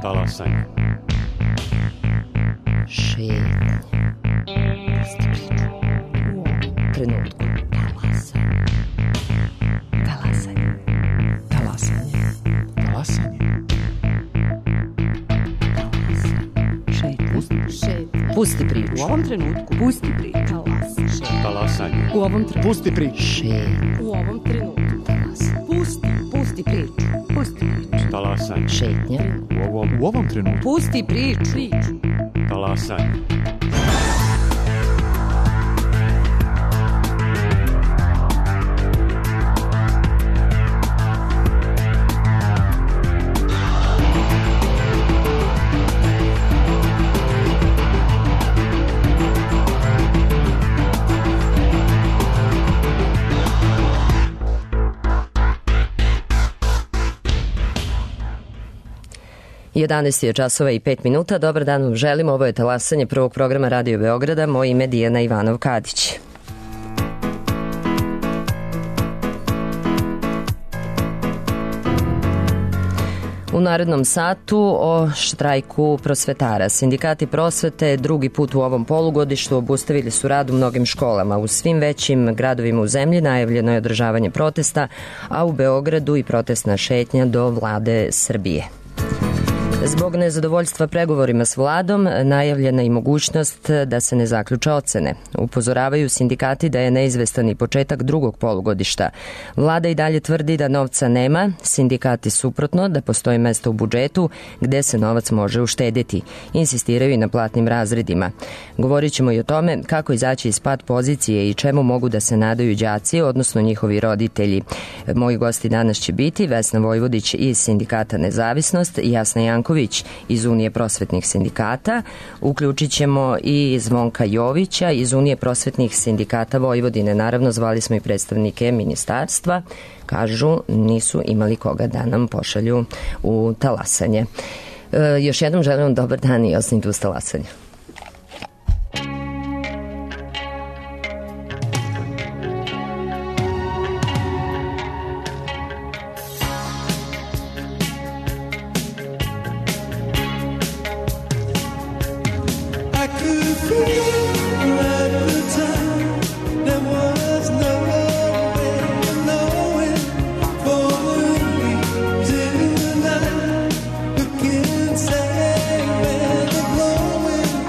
Talasanje. Šetnje. Pusti priču. U ovom trenutku. Talasanje. Talasanje. Talasanje. Šetnje. Pusti priču. U ovom trenutku. Pusti priču. Talasanje. U ovom trenutku. Pusti priču. Šetnje. U ovom trenutku. Pusti priču. Pusti priču. Talasanje. Šetnje. U ovom trenutku. Pusti priču. Talasanje. Jedanaest je časova i 5 minuta. Dobar dan vam želim. Ovo je talasanje prvog programa Radio Beograda. Moje ime je Dijana Ivanov-Kadić. U narednom satu o štrajku prosvetara. Sindikati prosvete drugi put u ovom polugodištu obustavili su rad u mnogim školama. U svim većim gradovima u zemlji najavljeno je održavanje protesta, a u Beogradu i protestna šetnja do vlade Srbije. Zbog nezadovoljstva pregovorima s vladom najavljena i mogućnost da se ne zaključe ocene. Upozoravaju sindikati da je neizvestan i početak drugog polugodišta. Vlada i dalje tvrdi da novca nema, sindikati suprotno da postoji mesto u budžetu gde se novac može uštedeti. Insistiraju i na platnim razredima. Govorit ćemo i o tome kako izaći iz pad pozicije i čemu mogu da se nadaju đaci, odnosno njihovi roditelji. Moji gosti danas će biti Vesna Vojvodić iz Sindikata Nezavisnost i Jasna Janković iz Unije prosvetnih sindikata. Uključit ćemo i Zvonka Jovića iz Unije prosvetnih sindikata Vojvodine. Naravno, zvali smo i predstavnike ministarstva. Kažu, nisu imali koga da nam pošalju u talasanje. Još jednom želim vam dobar dan i ostanite uz talasanje. Say where the glowing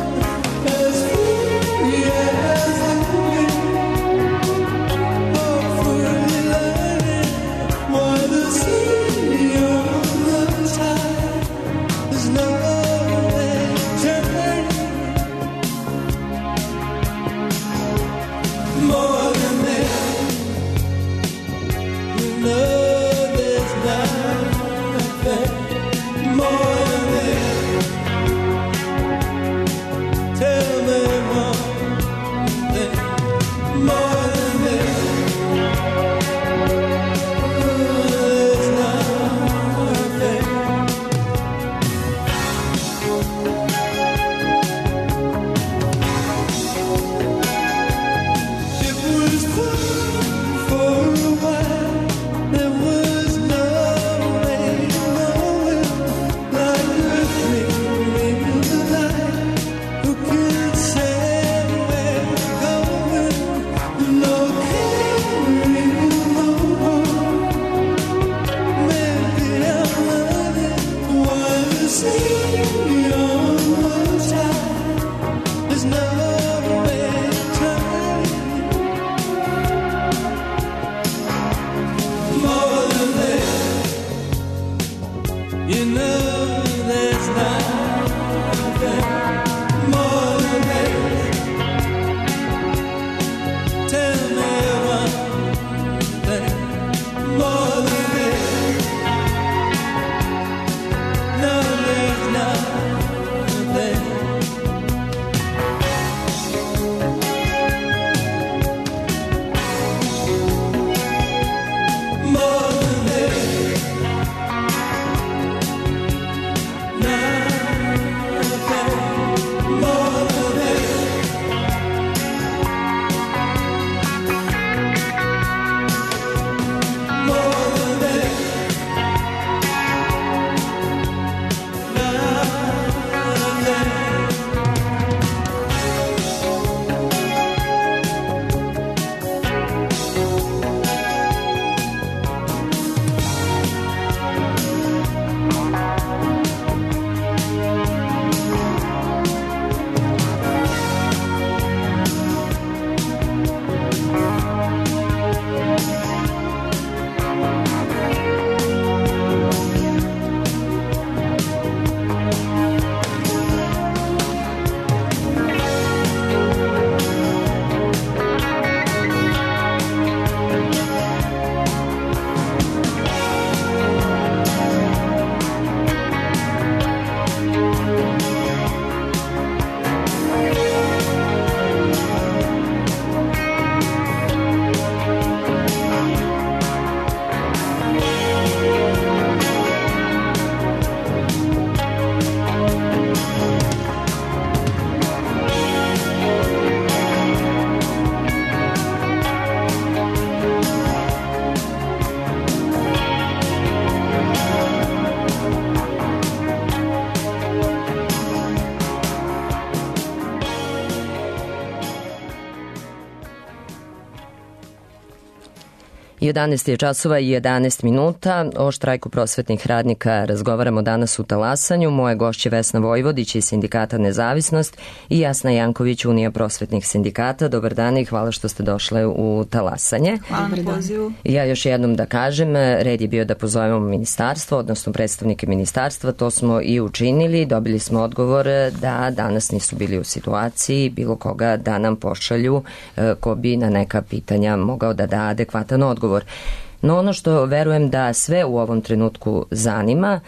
11 je časova i 11 minuta. O štrajku prosvetnih radnika razgovaramo danas u Talasanju. Moje gošće Vesna Vojvodić iz Sindikata Nezavisnost i Jasna Janković, Unija prosvetnih sindikata. Dobar dan i hvala što ste došle u Talasanje. Hvala na pozivu. Ja još jednom da kažem, red je bio da pozovemo ministarstvo, odnosno predstavnike ministarstva. To smo i učinili. Dobili smo odgovor da danas nisu bili u situaciji bilo koga da nam pošalju ko bi na neka pitanja mogao da da adekvatan odgovor. No ono što verujem da sve u ovom trenutku zanima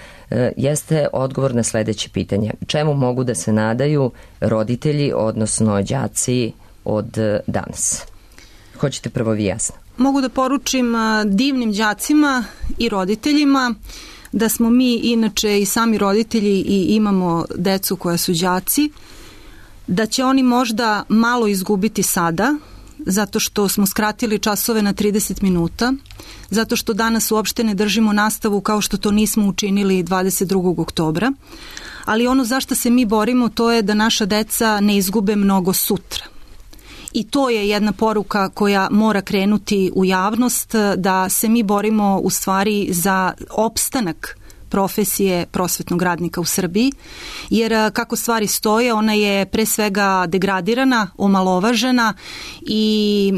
jeste odgovor na sledeće pitanje. Čemu mogu da se nadaju roditelji, odnosno đaci od danas? Hoćete prvo vi, Jasna? Mogu da poručim divnim đacima i roditeljima da smo mi inače i sami roditelji i imamo decu koja su đaci, da će oni možda malo izgubiti sada, zato što smo skratili časove na 30 minuta, zato što danas uopšte ne držimo nastavu kao što to nismo učinili 22. oktobra, ali ono za što se mi borimo to je da naša deca ne izgube mnogo sutra. I to je jedna poruka koja mora krenuti u javnost, da se mi borimo u stvari za opstanak profesije prosvetnog radnika u Srbiji, jer kako stvari stoje, ona je pre svega degradirana, omalovažena i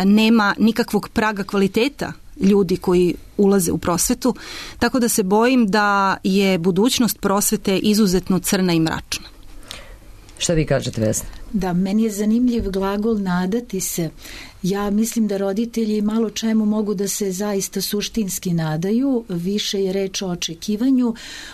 nema nikakvog praga kvaliteta ljudi koji ulaze u prosvetu, tako da se bojim da je budućnost prosvete izuzetno crna i mračna. Šta vi kažete, Vesna? Da, meni je zanimljiv glagol nadati se. Ja mislim da roditelji malo čemu mogu da se zaista suštinski nadaju, više je reč o očekivanju.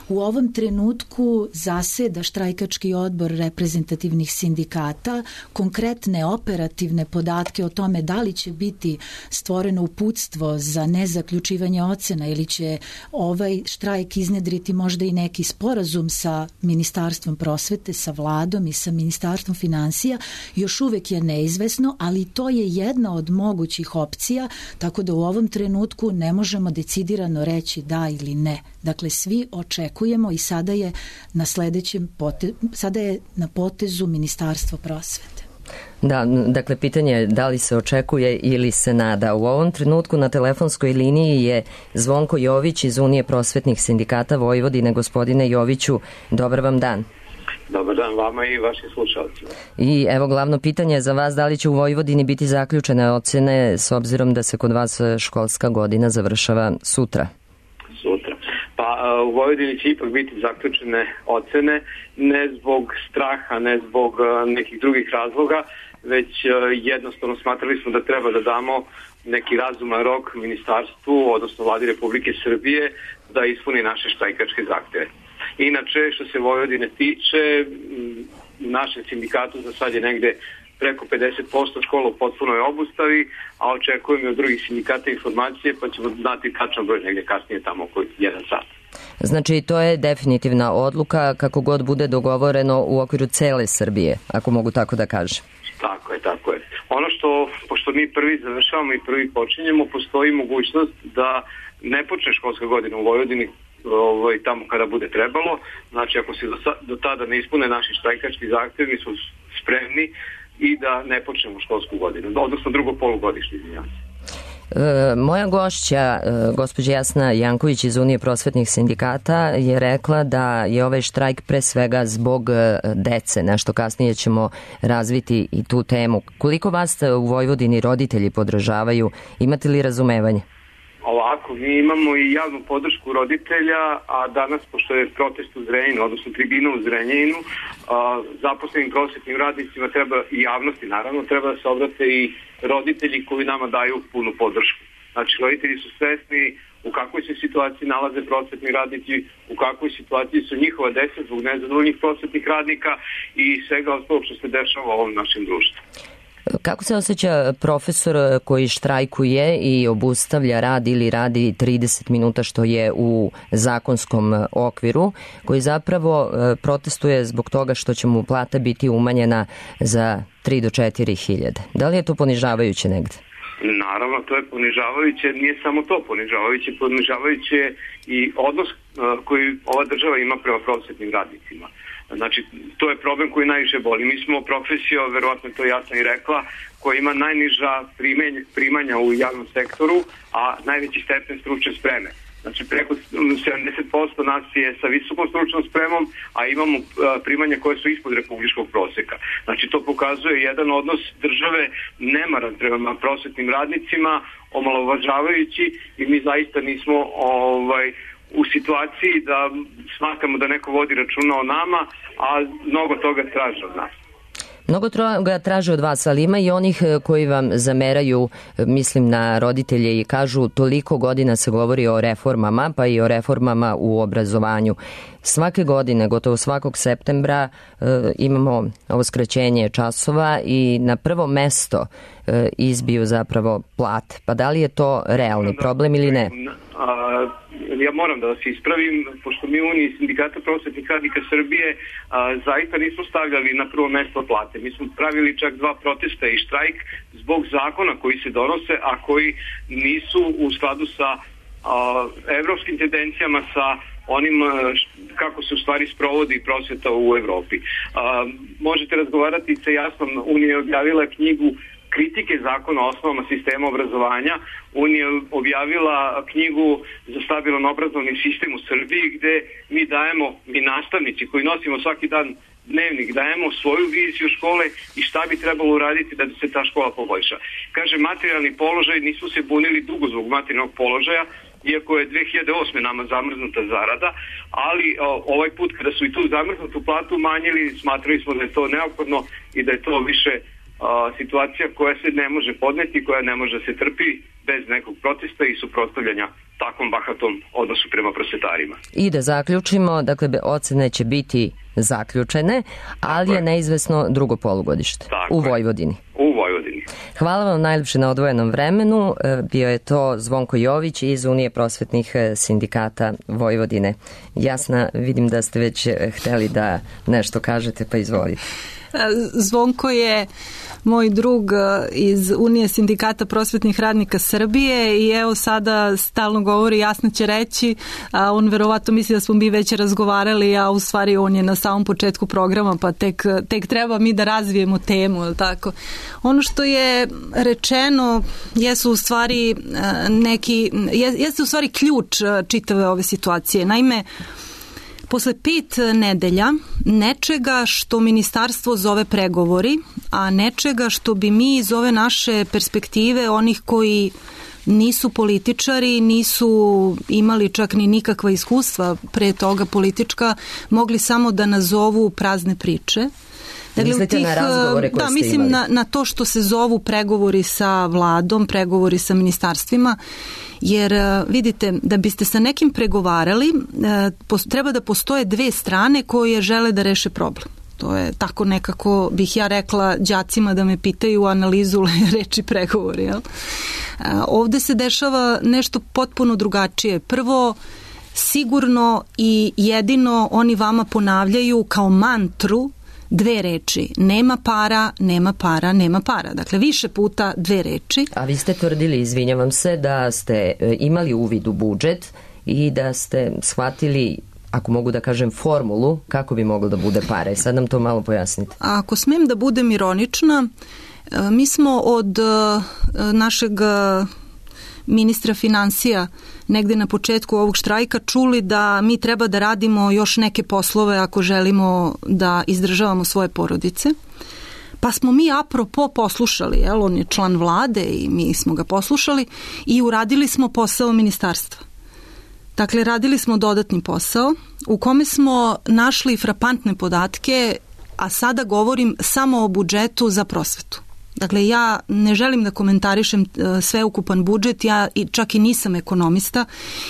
U ovom trenutku zaseda štrajkački odbor reprezentativnih sindikata, konkretne operativne podatke o tome da li će biti stvoreno uputstvo za nezaključivanje ocena ili će ovaj štrajk iznedriti možda i neki sporazum sa Ministarstvom prosvete, sa vladom i sa Ministarstvom finansija, još uvek je neizvesno, ali to je jedna od mogućih opcija, tako da u ovom trenutku ne možemo decidirano reći da ili ne. Dakle, svi očekujemo i sada je na potezu Ministarstvo prosvete. Da, dakle, pitanje je da li se očekuje ili se nada. U ovom trenutku na telefonskoj liniji je Zvonko Jović iz Unije prosvetnih sindikata Vojvodine. Gospodine Joviću, dobar vam dan. Dobar dan vama i vašim slušalcima. I evo glavno pitanje za vas, da li će u Vojvodini biti zaključene ocene s obzirom da se kod vas školska godina završava sutra? Sutra. Pa u Vojvodini će ipak biti zaključene ocene, ne zbog straha, ne zbog nekih drugih razloga, već jednostavno smatrali smo da treba da damo neki razuman rok ministarstvu, odnosno vladi Republike Srbije, da ispuni naše štrajkačke zahteve. Inače, što se Vojvodine tiče, u našem sindikatu za sad je negde preko 50% škola u potpunoj obustavi, a očekujemo od drugih sindikata informacije, pa ćemo znati tačno broj negde kasnije tamo oko 1 sat. Znači, to je definitivna odluka kako god bude dogovoreno u okviru cele Srbije, ako mogu tako da kažem. Tako je, tako je. Ono što, pošto mi prvi završavamo i prvi počinjemo, postoji mogućnost da ne počne školska godina u Vojvodini tamo kada bude trebalo. Znači, ako se do tada ne ispune naši štrajkački zahtevi, mi smo spremni i da ne počnemo školsku godinu, odnosno drugo polugodišnje, izvinjavam se. Moja gošća, gospođa Jasna Janković iz Unije prosvetnih sindikata, je rekla da je ovaj štrajk pre svega zbog dece. Nešto kasnije ćemo razviti i tu temu. Koliko vas u Vojvodini roditelji podržavaju? Imate li razumevanje? Ovako, mi imamo i javnu podršku roditelja, a danas, pošto je protest u Zrenjaninu, odnosno tribina u Zrenjaninu, zaposlenim prosvetnim radnicima treba, i javnosti naravno, treba da se obrate i roditelji koji nama daju punu podršku. Znači, roditelji su svesni u kakvoj se situaciji nalaze prosvetni radnici, u kakvoj situaciji su njihova deca zbog nezadovoljnih prosvetnih radnika i svega ostalog što se dešava u ovom našem društvu. Kako se osjeća profesor koji štrajkuje i obustavlja rad ili radi 30 minuta što je u zakonskom okviru, koji zapravo protestuje zbog toga što će mu plata biti umanjena za 3 do 4 hiljade? Da li je to ponižavajuće negde? Naravno, to je ponižavajuće, nije samo to ponižavajuće i odnos koji ova država ima prema prosvetnim radnicima. Znači, to je problem koji najviše boli. Mi smo profesija, verovatno je to jasno i rekla, koja ima najniža primanja u javnom sektoru, a najveći stepen stručne spreme. Znači, preko 70% nas je sa visokom stručnom spremom, a imamo primanja koje su ispod republičkog proseka. Znači, to pokazuje jedan odnos države nemaran prema prosvetnim radnicima, omalovažavajući, i mi zaista nismo u situaciji da smatramo da neko vodi računa o nama, a mnogo toga traže od nas. Mnogo toga traže od vas, ali ima i onih koji vam zameraju, mislim na roditelje, i kažu toliko godina se govori o reformama, pa i o reformama u obrazovanju. Svake godine, gotovo svakog septembra, imamo ovo skraćenje časova i na prvo mesto izbiju zapravo plate. Pa da li je to realni problem ili ne? Ja moram da vas ispravim, pošto mi u Uniji Sindikata prosvetnih radnika Srbije zaista nismo stavljali na prvo mesto plate. Mi smo pravili čak 2 protesta i štrajk zbog zakona koji se donose, a koji nisu u skladu sa evropskim tendencijama, sa onim kako se u stvari sprovodi prosveta u Evropi. Možete razgovarati sa Jasnom. Unija je objavila knjigu kritike zakona o osnovama sistema obrazovanja. Unija je objavila knjigu za stabilan obrazovni sistem u Srbiji, gde mi nastavnici koji nosimo svaki dan dnevnik, dajemo svoju viziju škole i šta bi trebalo uraditi da se ta škola poboljša. Kaže, materijalni položaj, nismo se bunili dugo zbog materijalnog položaja, iako je 2008. nama zamrznuta zarada, ali ovaj put kada su i tu zamrznutu platu umanjili, smatrali smo da je to neophodno i da je to više situacija koja se ne može podneti, koja ne može se trpi bez nekog protesta i suprotstavljanja takvom bahatom odnosu prema prosvetarima. I da zaključimo, dakle, ocene će biti zaključene, ali je neizvesno drugo polugodište u Vojvodini. U Vojvodini. Hvala vam najljepše na odvojenom vremenu. Bio je to Zvonko Jović iz Unije prosvetnih sindikata Vojvodine. Jasna, vidim da ste već hteli da nešto kažete, pa izvolite. Zvonko je moj drug iz Unije Sindikata prosvetnih radnika Srbije i evo sada stalno govori, Jasna će reći, a on verovatno misli da smo mi već razgovarali, a u stvari on je na samom početku programa, pa tek treba mi da razvijemo temu, tako. Ono što je rečeno jesu u stvari jeste u stvari ključ čitave ove situacije. Naime, posle 5 nedelja nečega što ministarstvo zove pregovori, a nečega što bi mi iz ove naše perspektive, onih koji nisu političari, nisu imali čak ni nikakva iskustva pre toga politička, mogli samo da nazovu prazne priče. Mislite na razgovore koje ste mislim imali? Na to što se zovu pregovori sa vladom, pregovori sa ministarstvima, jer vidite, da biste sa nekim pregovarali, treba da postoje 2 strane koje žele da reše problem. To je tako nekako, bih ja rekla đacima da me pitaju analizu reči pregovori. Jel? Ovde se dešava nešto potpuno drugačije. Prvo, sigurno i jedino oni vama ponavljaju kao mantru 2 reči. Nema para, nema para, nema para. Dakle, više puta 2 reči. A vi ste tvrdili, izvinjavam se, da ste imali uvid u budžet i da ste shvatili, ako mogu da kažem, formulu kako bi moglo da bude pare. Sad nam to malo pojasnite. Ako smem da budem ironična, mi smo od našeg ministra finansija negde na početku ovog štrajka čuli da mi treba da radimo još neke poslove ako želimo da izdržavamo svoje porodice. Pa smo mi apropo poslušali, on je član vlade i mi smo ga poslušali i uradili smo posao ministarstva. Dakle, radili smo dodatni posao u kome smo našli frapantne podatke, a sada govorim samo o budžetu za prosvetu. Dakle, ja ne želim da komentarišem sveukupan budžet, ja čak i nisam ekonomista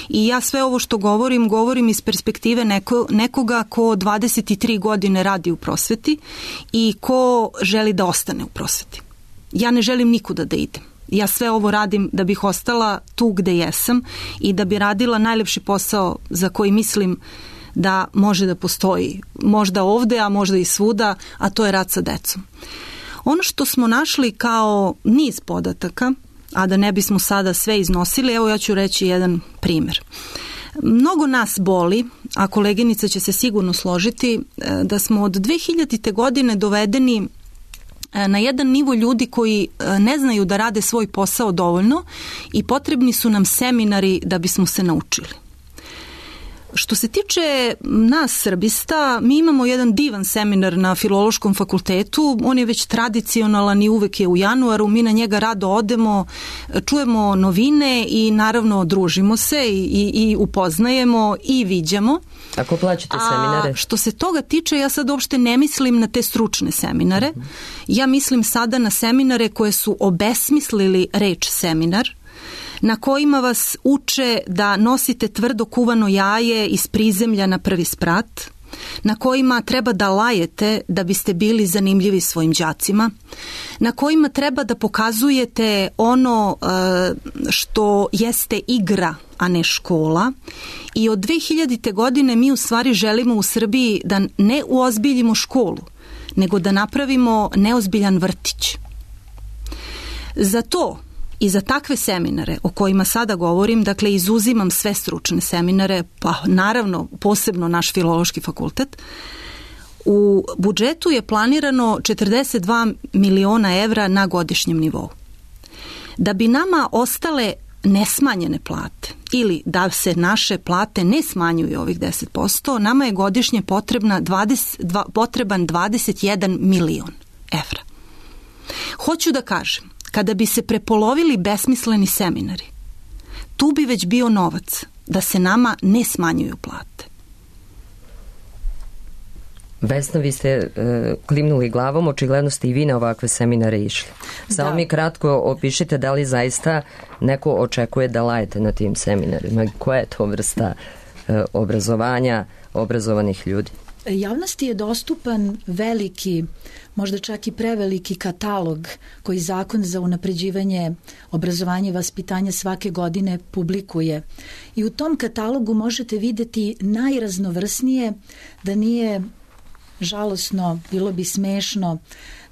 i ja sve ovo što govorim iz perspektive nekoga ko 23 godine radi u prosveti i ko želi da ostane u prosveti. Ja ne želim nikuda da idem. Ja sve ovo radim da bih ostala tu gde jesam i da bi radila najlepši posao za koji mislim da može da postoji. Možda ovde, a možda i svuda, a to je rad sa decom. Ono što smo našli kao niz podataka, a da ne bismo sada sve iznosili, evo ja ću reći jedan primer. Mnogo nas boli, a koleginica će se sigurno složiti, da smo od 2000. godine dovedeni na jedan nivo ljudi koji ne znaju da rade svoj posao dovoljno i potrebni su nam seminari da bismo se naučili. Što se tiče nas srbista, mi imamo jedan divan seminar na Filološkom fakultetu, on je već tradicionalan i uvek je u januaru, mi na njega rado odemo, čujemo novine i naravno družimo se i upoznajemo i viđamo. Ako plaćate seminare? A što se toga tiče, ja sad uopšte ne mislim na te stručne seminare, ja mislim sada na seminare koje su obesmislili reč seminar, na kojima vas uče da nosite tvrdo kuvano jaje iz prizemlja na prvi sprat, na kojima treba da lajete da biste bili zanimljivi svojim đacima, na kojima treba da pokazujete ono što jeste igra, a ne škola. I od 2000. godine mi u stvari želimo u Srbiji da ne uozbiljimo školu, nego da napravimo neozbiljan vrtić. Za to i za takve seminare o kojima sada govorim, dakle izuzimam sve stručne seminare, pa naravno posebno naš Filološki fakultet, u budžetu je planirano 42 miliona evra na godišnjem nivou. Da bi nama ostale nesmanjene plate ili da se naše plate ne smanjuju ovih 10%, nama je godišnje potreban 21 milion evra. Hoću da kažem, kada bi se prepolovili besmisleni seminari, tu bi već bio novac da se nama ne smanjuju plate. Vesna, vi ste klimnuli glavom, očigledno ste i vi na ovakve seminare išli. Samo mi kratko opišite da li zaista neko očekuje da lajete na tim seminarima. Koja je to vrsta obrazovanja obrazovanih ljudi? Javnosti je dostupan veliki, možda čak i preveliki katalog koji Zakon za unapređivanje obrazovanja i vaspitanja svake godine publikuje. I u tom katalogu možete videti najraznovrsnije, da nije žalosno, bilo bi smešno,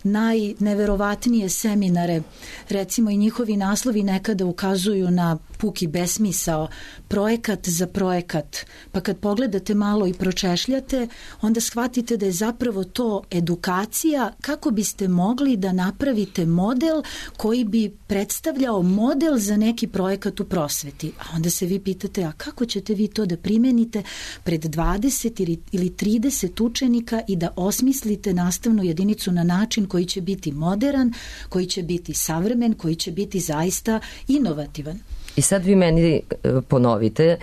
najneverovatnije seminare, recimo i njihovi naslovi nekada ukazuju na puki besmisao, projekat za projekat, pa kad pogledate malo i pročešljate, onda shvatite da je zapravo to edukacija kako biste mogli da napravite model koji bi predstavljao model za neki projekat u prosveti. A onda se vi pitate, a kako ćete vi to da primenite pred 20 ili 30 učenika i da osmislite nastavnu jedinicu na način koji će biti modern, koji će biti savremen, koji će biti zaista inovativan. I sad vi meni ponovite,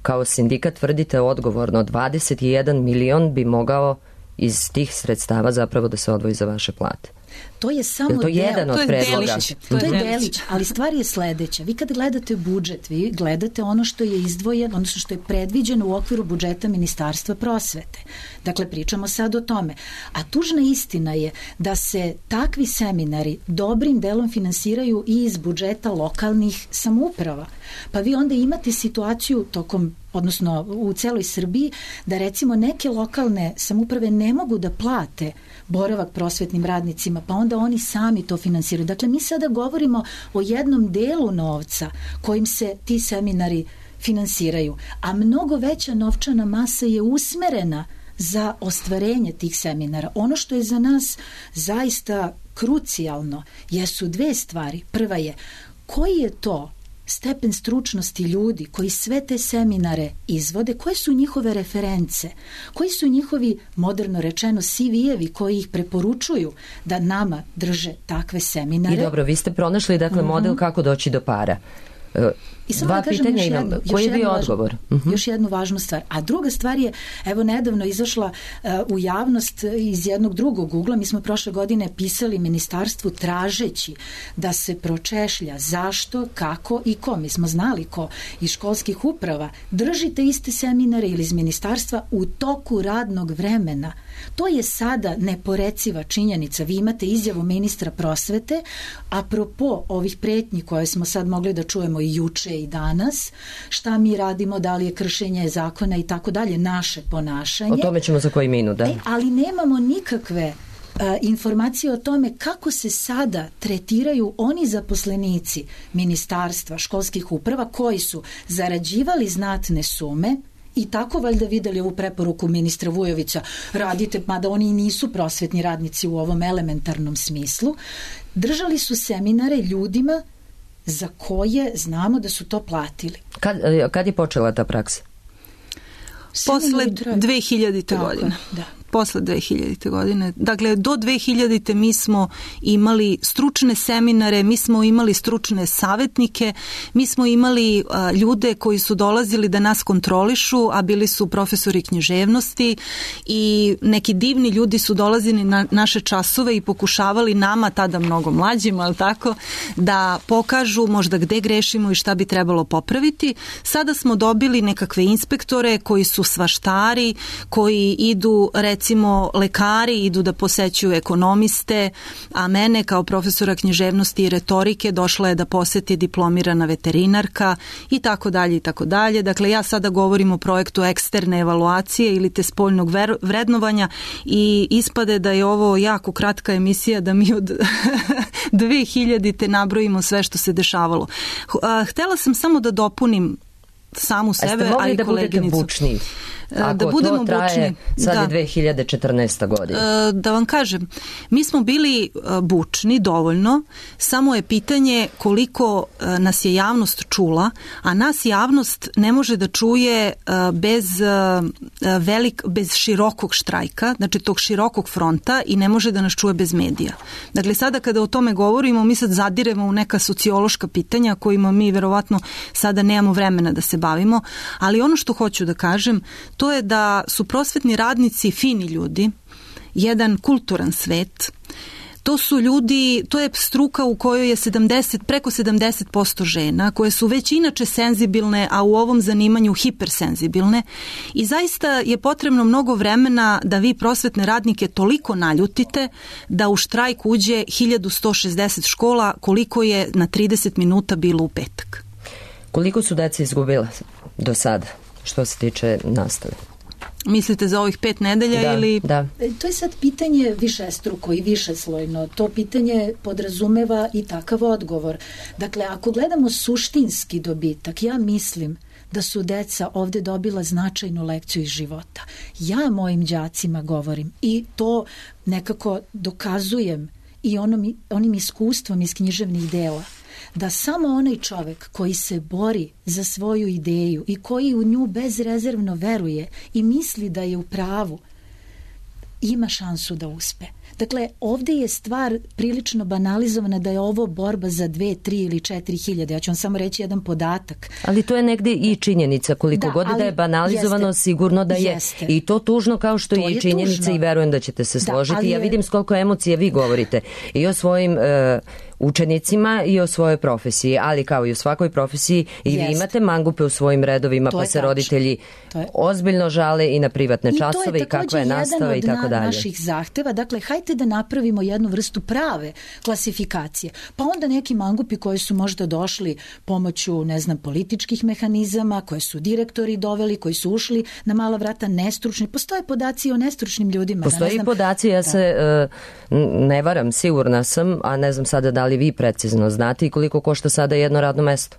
kao sindikat tvrdite odgovorno, 21 milion bi mogao iz tih sredstava zapravo da se odvoji za vaše plate. To je samo to jedan od predloga. To je delić, ali stvar je sledeća. Vi kad gledate budžet, vi gledate ono što je izdvojeno, odnosno što je predviđeno u okviru budžeta Ministarstva prosvete. Dakle, pričamo sad o tome. A tužna istina je da se takvi seminari dobrim delom finansiraju i iz budžeta lokalnih samouprava. Pa vi onda imate situaciju odnosno u celoj Srbiji, da recimo neke lokalne samouprave ne mogu da plate boravak prosvetnim radnicima, pa onda oni sami to finansiraju. Dakle, mi sada govorimo o jednom delu novca kojim se ti seminari finansiraju, a mnogo veća novčana masa je usmerena za ostvarenje tih seminara. Ono što je za nas zaista krucijalno jesu dve stvari. Prva je, koji je to stepen stručnosti ljudi koji sve te seminare izvode, koje su njihove reference, koji su njihovi, moderno rečeno, CV-evi koji ih preporučuju da nama drže takve seminare. I dobro, vi ste pronašli model kako doći do para. I samo da kažem koji je bio odgovor? Još jednu važnu stvar. A druga stvar je, evo nedavno izašla u javnost iz jednog drugog ugla, mi smo prošle godine pisali ministarstvu tražeći da se pročešlja zašto, kako i ko. Mi smo znali ko iz školskih uprava. Držite iste seminare ili iz ministarstva u toku radnog vremena. To je sada neporeciva činjenica. Vi imate izjavu ministra prosvete, apropo ovih pretnji koje smo sad mogli da čujemo i juče i danas, šta mi radimo, da li je kršenje zakona i tako dalje, naše ponašanje. O tome ćemo za koji minut, da. Ali nemamo nikakve informacije o tome kako se sada tretiraju oni zaposlenici ministarstva, školskih uprava koji su zarađivali znatne sume i tako valjda videli ovu preporuku ministra Vujovića, radite, mada oni nisu prosvetni radnici u ovom elementarnom smislu, držali su seminare ljudima za koje znamo da su to platili. Kad je počela ta praksa? Posle 2000. godine. Da. Posle 2000. godine. Dakle, do 2000. mi smo imali stručne seminare, mi smo imali stručne savetnike, mi smo imali ljude koji su dolazili da nas kontrolišu, a bili su profesori književnosti i neki divni ljudi su dolazili na naše časove i pokušavali nama, tada mnogo mlađima, ali tako, da pokažu možda gde grešimo i šta bi trebalo popraviti. Sada smo dobili nekakve inspektore koji su svaštari, koji idu, recimo lekari idu da posećuju ekonomiste, a mene kao profesora književnosti i retorike došla je da poseti diplomirana veterinarka i tako dalje i tako dalje. Dakle, ja sada govorim o projektu eksterne evaluacije ili te spoljnog vrednovanja i ispade da je ovo jako kratka emisija da mi od 2000. nabrojimo sve što se dešavalo. Htela sam samo da dopunim samu sebe, a i koleginicu. Da budete bučniji? Ako da budemo to traje, bučni, sad je 2014. godina. Da vam kažem, mi smo bili bučni dovoljno, samo je pitanje koliko nas je javnost čula, a nas javnost ne može da čuje bez širokog štrajka, znači tog širokog fronta i ne može da nas čuje bez medija. Dakle, sada kada o tome govorimo, mi sad zadiremo u neka sociološka pitanja kojima mi verovatno sada nemamo vremena da se bavimo, ali ono što hoću da kažem, to je da su prosvetni radnici fini ljudi, jedan kulturan svet. To su ljudi, to je struka u kojoj je preko 70% žena, koje su već inače senzibilne, a u ovom zanimanju hipersenzibilne. I zaista je potrebno mnogo vremena da vi prosvetne radnike toliko naljutite da u štrajk uđe 1160 škola, koliko je na 30 minuta bilo u petak. Koliko su deca izgubila do sada, što se tiče nastave? Mislite za ovih 5 nedelja ili... Da. To je sad pitanje višestruko i višeslojno. To pitanje podrazumeva i takav odgovor. Dakle, ako gledamo suštinski dobitak, ja mislim da su deca ovde dobila značajnu lekciju iz života. Ja mojim đacima govorim i to nekako dokazujem i onim iskustvom iz književnih dela, da samo onaj čovek koji se bori za svoju ideju i koji u nju bezrezervno veruje i misli da je u pravu, ima šansu da uspe. Dakle, ovde je stvar prilično banalizovana da je ovo borba za 2, 3 ili 4 hiljade. Ja ću vam samo reći jedan podatak. Ali to je negde i činjenica. Koliko god da je banalizovano, sigurno da je. I to tužno kao što je i činjenica tužno. I verujem da ćete se složiti. Ja vidim s koliko emocije vi govorite i o svojim učenicima i o svojoj profesiji, ali kao i u svakoj profesiji i vi imate mangupe u svojim redovima, pa se roditelji ozbiljno žale i na privatne časove i kakva je nastava i tako dalje. To je također jedan od naših zahteva. Dakle, hajte da napravimo jednu vrstu prave klasifikacije. Pa onda neki mangupi koji su možda došli pomoću, ne znam, političkih mehanizama, koje su direktori doveli, koji su ušli na mala vrata nestručni. Postoje podaci o nestručnim ljudima. Postoje i podaci, ja se ne varam, sigurna sam, a ne znam sada da li vi precizno znate i koliko košta sada jedno radno mesto?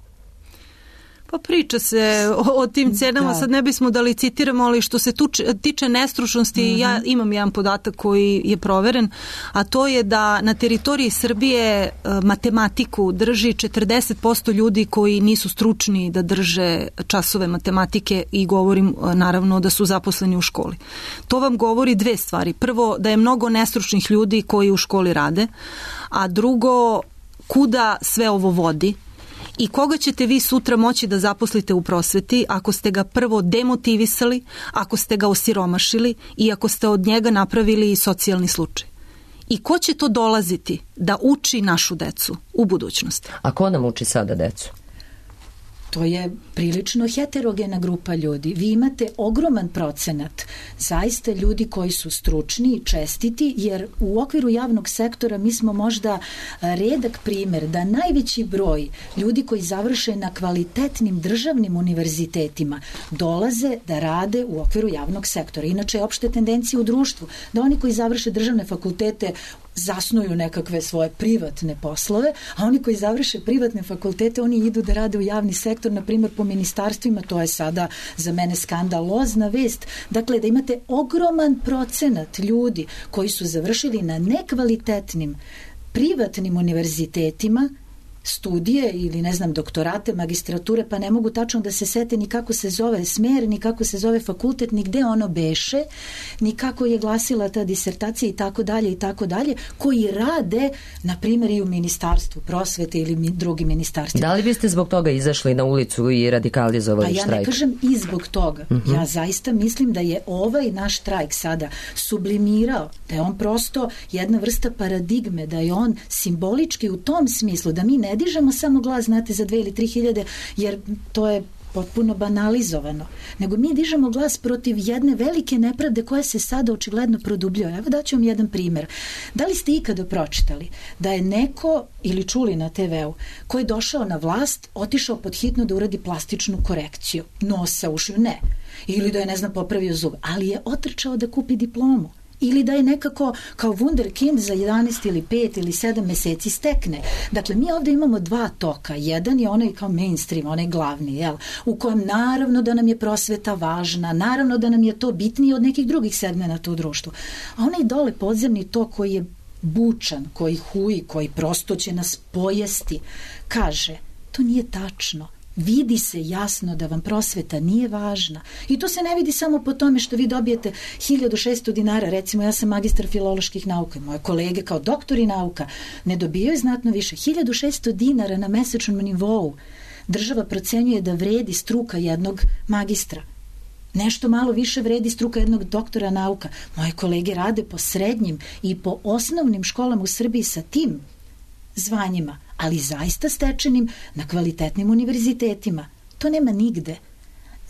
Pa priča se o tim cenama, sad ne bismo da licitiramo, ali što se tiče nestručnosti, ja imam jedan podatak koji je proveren, a to je da na teritoriji Srbije matematiku drži 40% ljudi koji nisu stručni da drže časove matematike i govorim naravno da su zaposleni u školi. To vam govori dve stvari. Prvo, da je mnogo nestručnih ljudi koji u školi rade, a drugo, kuda sve ovo vodi i koga ćete vi sutra moći da zaposlite u prosveti ako ste ga prvo demotivisali, ako ste ga osiromašili i ako ste od njega napravili socijalni slučaj. I ko će to dolaziti da uči našu decu u budućnosti? A ko nam uči sada decu? To je prilično heterogena grupa ljudi. Vi imate ogroman procenat zaista ljudi koji su stručni i čestiti, jer u okviru javnog sektora mi smo možda redak primer da najveći broj ljudi koji završe na kvalitetnim državnim univerzitetima dolaze da rade u okviru javnog sektora. Inače je opšte tendencija u društvu da oni koji završe državne fakultete zasnuju nekakve svoje privatne poslove, a oni koji završe privatne fakultete, oni idu da rade u javni sektor, na primjer po ministarstvima. To je sada za mene skandalozna vest. Dakle, da imate ogroman procenat ljudi koji su završili na nekvalitetnim privatnim univerzitetima studije ili ne znam doktorate, magistrature, pa ne mogu tačno da se sete ni kako se zove smer, ni kako se zove fakultet, ni gde ono beše, ni kako je glasila ta disertacija i tako dalje, koji rade, na primjer, i u ministarstvu prosvete ili drugim ministarstvima. Da li biste zbog toga izašli na ulicu i radikalizovali štrajk? Pa ja ne kažem i zbog toga. Ja zaista mislim da je ovaj naš štrajk sada sublimirao, da je on prosto jedna vrsta paradigme, da je on simbolički u tom smislu, da mi ne dižemo samo glas, znate, za 2 ili 3 hiljade, jer to je potpuno banalizovano, nego mi dižemo glas protiv jedne velike nepravde koja se sada očigledno produbljuje. Evo daću vam jedan primjer. Da li ste ikada pročitali da je neko, ili čuli na TV-u, ko je došao na vlast, otišao pod hitno da uradi plastičnu korekciju nosa, ušiju? Ne. Ili da je, ne znam, popravio zub, ali je otrčao da kupi diplomu. Ili da je nekako kao wunderkind za 11 ili 5 ili 7 meseci stekne. Dakle, mi ovdje imamo dva toka. Jedan je onaj kao mainstream, onaj glavni, jel? U kojem naravno da nam je prosveta važna, naravno da nam je to bitnije od nekih drugih segmenata u društvu. A onaj dole podzemni tok koji je bučan, koji huji, koji prosto će nas pojesti, kaže, to nije tačno. Vidi se jasno da vam prosveta nije važna. I to se ne vidi samo po tome što vi dobijete 1600 dinara. Recimo, ja sam magistar filoloških nauka i moje kolege kao doktori nauka ne dobijaju znatno više. 1600 dinara na mesečnom nivou država procenjuje da vredi struka jednog magistra. Nešto malo više vredi struka jednog doktora nauka. Moje kolege rade po srednjim i po osnovnim školama u Srbiji sa tim zvanjima, ali zaista stečenim na kvalitetnim univerzitetima. To nema nigde.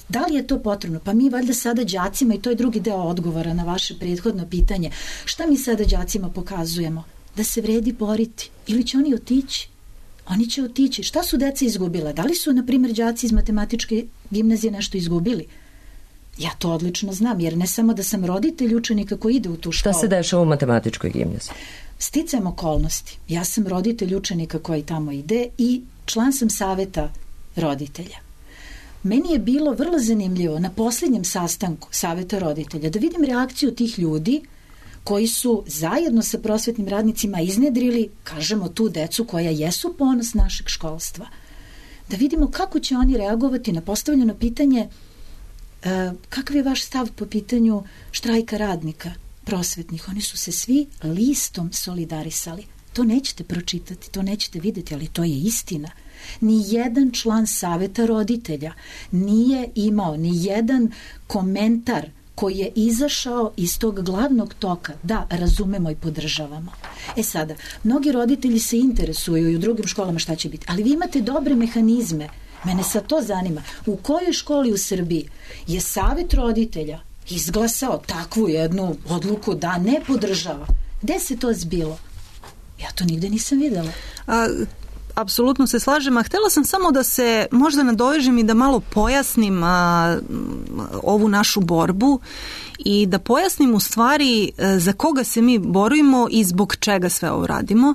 Da li je to potrebno? Pa mi valjda sada đacima, i to je drugi deo odgovora na vaše prethodno pitanje, šta mi sada đacima pokazujemo? Da se vredi boriti. Ili će oni otići? Oni će otići. Šta su deca izgubila? Da li su, na primjer, đaci iz matematičke gimnazije nešto izgubili? Ja to odlično znam, jer ne samo da sam roditelj učenika koji ide u tu školu. Šta se dešava u matematičkoj gimnaziji? Sticajem okolnosti. Ja sam roditelj učenika koji tamo ide i član sam saveta roditelja. Meni je bilo vrlo zanimljivo na posljednjem sastanku saveta roditelja da vidim reakciju tih ljudi koji su zajedno sa prosvetnim radnicima iznedrili, kažemo, tu decu koja jesu ponos našeg školstva. Da vidimo kako će oni reagovati na postavljeno pitanje kakav je vaš stav po pitanju štrajka radnika prosvetnih. Oni su se svi listom solidarisali. To nećete pročitati, to nećete vidjeti, ali to je istina. Ni jedan član saveta roditelja nije imao ni jedan komentar koji je izašao iz tog glavnog toka. Da, razumemo i podržavamo. Sada, mnogi roditelji se interesuju i u drugim školama šta će biti, ali vi imate dobre mehanizme. Mene sad to zanima. U kojoj školi u Srbiji je savet roditelja izglasao takvu jednu odluku da ne podržava? Gde se to zbilo? Ja to nigde nisam videla. Apsolutno se slažem, a htjela sam samo da se možda nadovežem i da malo pojasnim ovu našu borbu i da pojasnim u stvari za koga se mi borimo i zbog čega sve ovo radimo.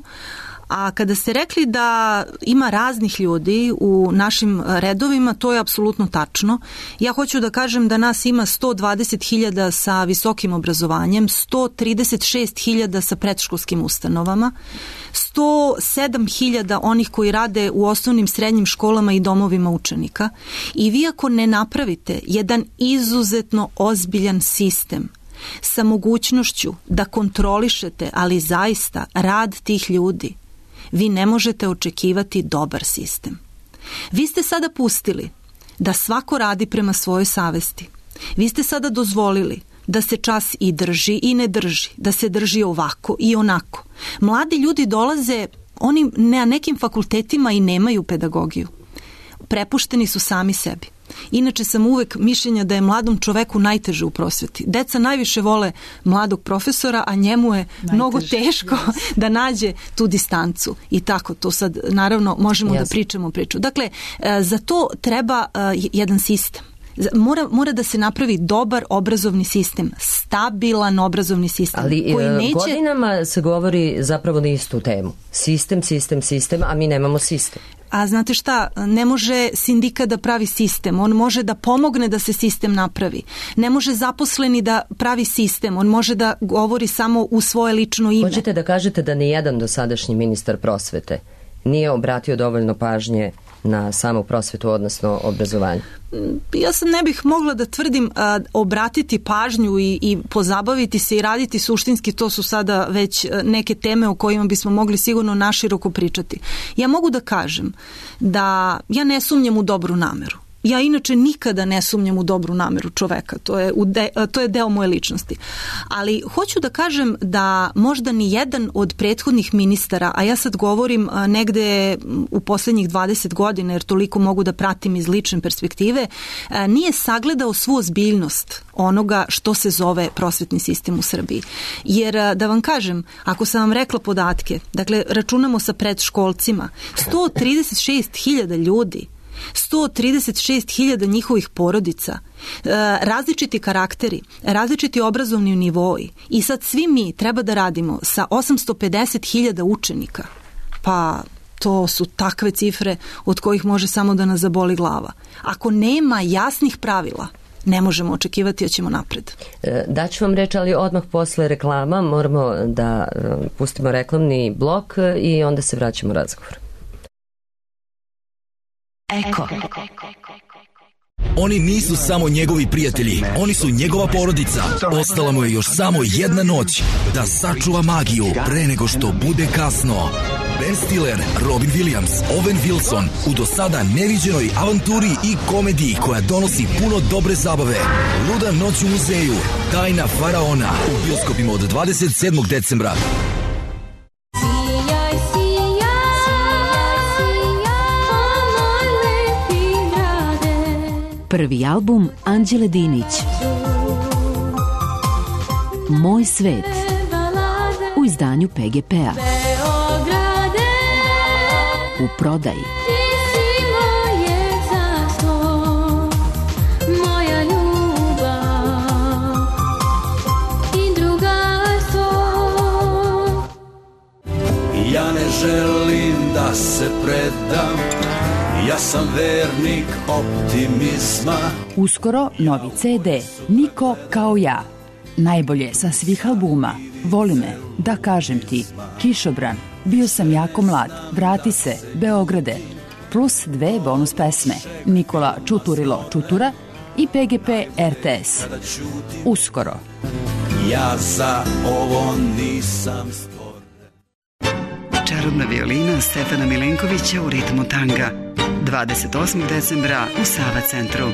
A kada ste rekli da ima raznih ljudi u našim redovima, to je apsolutno tačno. Ja hoću da kažem da nas ima 120.000 sa visokim obrazovanjem, 136.000 sa predškolskim ustanovama, 107.000 onih koji rade u osnovnim, srednjim školama i domovima učenika. I vi ako ne napravite jedan izuzetno ozbiljan sistem sa mogućnošću da kontrolišete, ali zaista, rad tih ljudi, vi ne možete očekivati dobar sistem. Vi ste sada pustili da svako radi prema svojoj savesti. Vi ste sada dozvolili da se čas i drži i ne drži, da se drži ovako i onako. Mladi ljudi dolaze, oni na nekim fakultetima i nemaju pedagogiju. prepušteni su sami sebi. Inače sam uvek mišljenja da je mladom čoveku najteže u prosveti. Deca najviše vole mladog profesora, a njemu je mnogo teško da nađe tu distancu. I tako, to sad naravno možemo da pričamo priču. Dakle, za to treba jedan sistem. Mora da se napravi dobar obrazovni sistem, stabilan obrazovni sistem. Ali koji neće... godinama se govori zapravo na istu temu. Sistem, a mi nemamo sistem. A znate šta, ne može sindikat da pravi sistem, on može da pomogne da se sistem napravi. Ne može zaposleni da pravi sistem, on može da govori samo u svoje lično ime. Hoćete da kažete da nijedan dosadašnji ministar prosvete nije obratio dovoljno pažnje na samu prosvetu, odnosno obrazovanje? Ja sam ne bih mogla da tvrdim obratiti pažnju i pozabaviti se i raditi suštinski, to su sada već neke teme o kojima bismo mogli sigurno naširoko pričati. Ja mogu da kažem da ja ne sumnjam u dobru nameru. Ja inače nikada ne sumnjam u dobru nameru čoveka, to je deo moje ličnosti. Ali hoću da kažem da možda ni jedan od prethodnih ministara, a ja sad govorim negde u poslednjih 20 godina, jer toliko mogu da pratim iz lične perspektive, nije sagledao svu ozbiljnost onoga što se zove prosvetni sistem u Srbiji. Jer da vam kažem, ako sam vam rekla podatke, dakle računamo sa predškolcima, 136.000 ljudi, 136.000 njihovih porodica, različiti karakteri, različiti obrazovni nivoi i sad svi mi treba da radimo sa 850.000 učenika. Pa to su takve cifre od kojih može samo da nas zaboli glava. Ako nema jasnih pravila, ne možemo očekivati da ćemo napred. Daću vam reč, ali odmah posle reklama moramo da pustimo reklamni blok i onda se vraćamo razgovor. Eko. Oni nisu samo njegovi prijatelji, oni su njegova porodica. Ostala mu je još samo jedna noć da sačuva magiju pre nego što bude kasno. Ben Stiller, Robin Williams, Owen Wilson u do sada neviđenoj avanturi i komediji koja donosi puno dobre zabave. Luda noć u muzeju, Tajna faraona u bioskopima od 27. decembra. Prvi album Anđele Dinić, Moj svet, u izdanju PGP-a. U prodaji. Ja ne želim da se predam, ja sam vernik optimizma. Uskoro novi CD, Niko kao ja. Najbolje sa svih albuma, Voli me, Da kažem ti, Kišobran, Bio sam jako mlad, Vrati se, Beograde, plus 2 bonus pesme, Nikola Čuturilo Čutura i PGP RTS. Uskoro. Ja za ovo nisam stvoren. Čarobna violina Stefana Milenkovića u ritmu tanga. 28. decembra u Sava centru.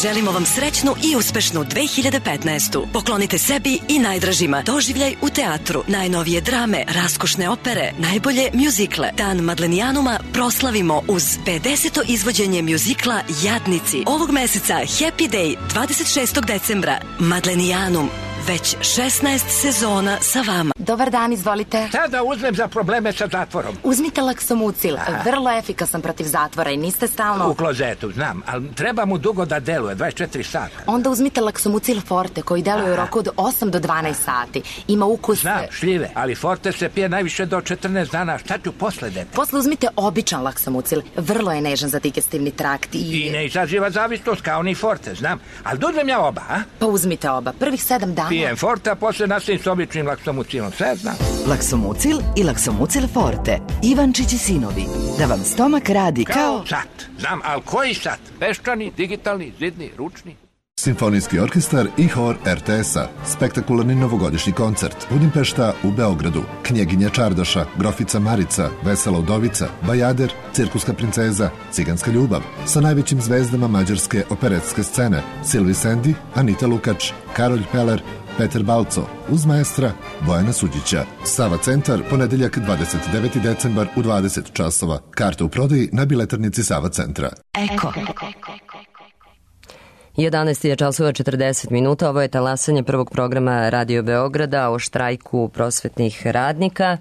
Želimo vam srećnu i uspešnu 2015. Poklonite sebi i najdražima doživljaj u teatru, najnovije drame, raskošne opere, najbolje mjuzikle. Dan Madlenijanuma proslavimo uz 50. izvođenje mjuzikla Jadnici. Ovog meseca Happy Day 26. decembra. Madlenijanum. Već 16 sezona sa vama. Dobar dan, izvolite. Šta da uzmem za probleme sa zatvorom? Uzmite Laksomucil, vrlo efikasan protiv zatvora i niste stalno... U klozetu, znam, ali treba mu dugo da deluje, 24 sata. Onda uzmite Laksomucil Forte koji deluje u roku od 8 do 12 sati. Ima ukus... Znam, šljive, ali Forte se pije najviše do 14 dana. Šta ću posle dete? Posle uzmite običan Laksomucil, vrlo je nežan za digestivni trakt i ne izaziva zavisnost kao ni Forte, znam. Ali da uzmem ja oba, a? Pa uzmite oba, prvih 7 dana. Pijem Forte, a posle nastavim s običnim Laksomucilom, sve znam. Laksomucil i Laksomucil Forte. Ivančić i sinovi. Da vam stomak radi kao... Sat, znam, ali koji sat? Peščani, digitalni, zidni, ručni? Simfonijski orkestar i hor RTS-a, spektakularni novogodišnji koncert, Budimpešta u Beogradu, Knjeginja Čardaša, Grofica Marica, Vesela udovica, Bajader, Cirkuska princeza, Ciganska ljubav, sa najvećim zvezdama mađarske operetske scene, Silvi Sendi, Anita Lukač, Karolj Peler, Peter Balco, uz maestra Bojana Suđića. Sava centar, ponedeljak 29. decembar u 20 časova. Karte u prodaji na biletarnici Sava centra. Eko. 11 je časova 40 minuta. Ovo je talasanje prvog programa Radio Beograda o štrajku prosvetnih radnika.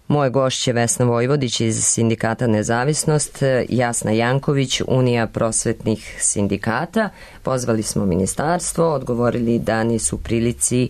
Moje gošće Vesna Vojvodić iz Sindikata Nezavisnost, Jasna Janković, Unija prosvetnih sindikata. Pozvali smo ministarstvo, odgovorili da nisu u prilici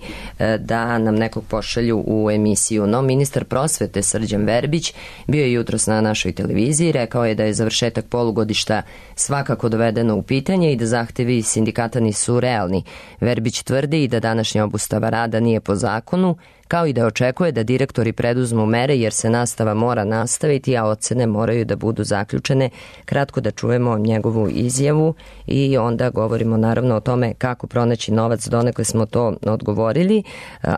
da nam nekog pošalju u emisiju. No, ministar prosvete Srđan Verbić bio je jutros na našoj televiziji, rekao je da je završetak polugodišta svakako dovedeno u pitanje i da zahtevi sindikata nisu realni. Verbić tvrdi i da današnja obustava rada nije po zakonu, kao i da očekuje da direktori preduzmu mere jer se nastava mora nastaviti, a ocene moraju da budu zaključene. Kratko da čujemo njegovu izjavu i onda govorimo naravno o tome kako pronaći novac, donekle smo to odgovorili,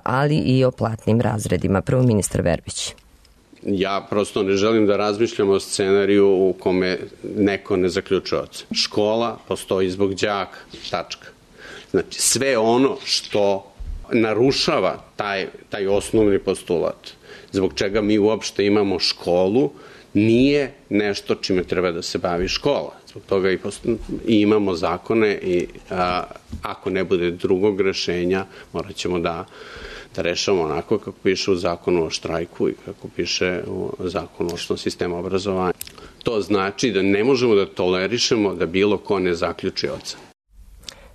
ali i o platnim razredima. Prvo ministar Verbić. Ja prosto ne želim da razmišljam o scenariju u kome neko ne zaključuje ocen. Škola postoji zbog đaka, tačka. Znači sve ono što narušava taj osnovni postulat, zbog čega mi uopšte imamo školu, nije nešto čime treba da se bavi škola. Zbog toga i imamo zakone i ako ne bude drugog rešenja, morat ćemo da rešamo onako kako piše u zakonu o štrajku i kako piše u zakonu o osnovnom sistemu obrazovanja. To znači da ne možemo da tolerišemo da bilo ko ne zaključi ocenu.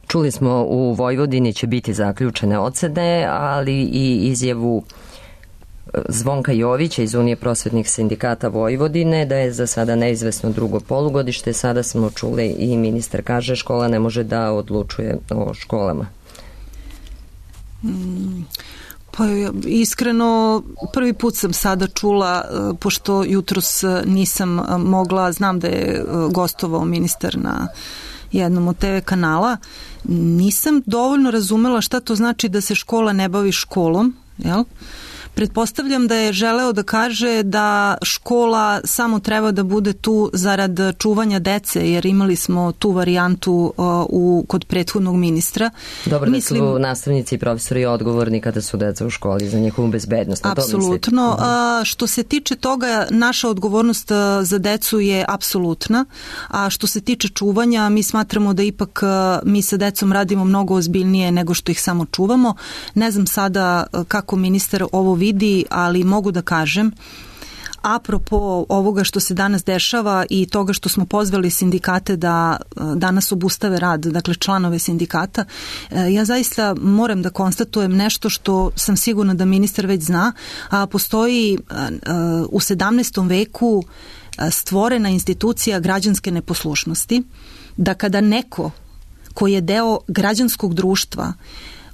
Čuli smo u Vojvodini će biti zaključene ocene, ali i izjavu Zvonka Jovića iz Unije prosvetnih sindikata Vojvodine da je za sada neizvesno drugo polugodište. Sada smo čuli i ministar kaže škola ne može da odlučuje o školama. Pa iskreno, prvi put sam sada čula, pošto jutros nisam mogla, znam da je gostovao ministar na jednom od TV kanala, nisam dovoljno razumela šta to znači da se škola ne bavi školom, jel? Pretpostavljam da je želeo da kaže da škola samo treba da bude tu zarad čuvanja dece, jer imali smo tu varijantu kod prethodnog ministra. Dobro, da su nastavnici i profesori odgovorni kada su deca u školi za njihovu bezbednost. Apsolutno. Što se tiče toga, naša odgovornost za decu je apsolutna, a što se tiče čuvanja, mi smatramo da ipak mi sa decom radimo mnogo ozbiljnije nego što ih samo čuvamo. Ne znam sada kako ministar ovo vidi, ali mogu da kažem, apropo ovoga što se danas dešava i toga što smo pozvali sindikate da danas obustave rad, dakle članove sindikata, ja zaista moram da konstatujem nešto što sam sigurna da ministar već zna, a postoji u 17. veku stvorena institucija građanske neposlušnosti, da kada neko ko je deo građanskog društva,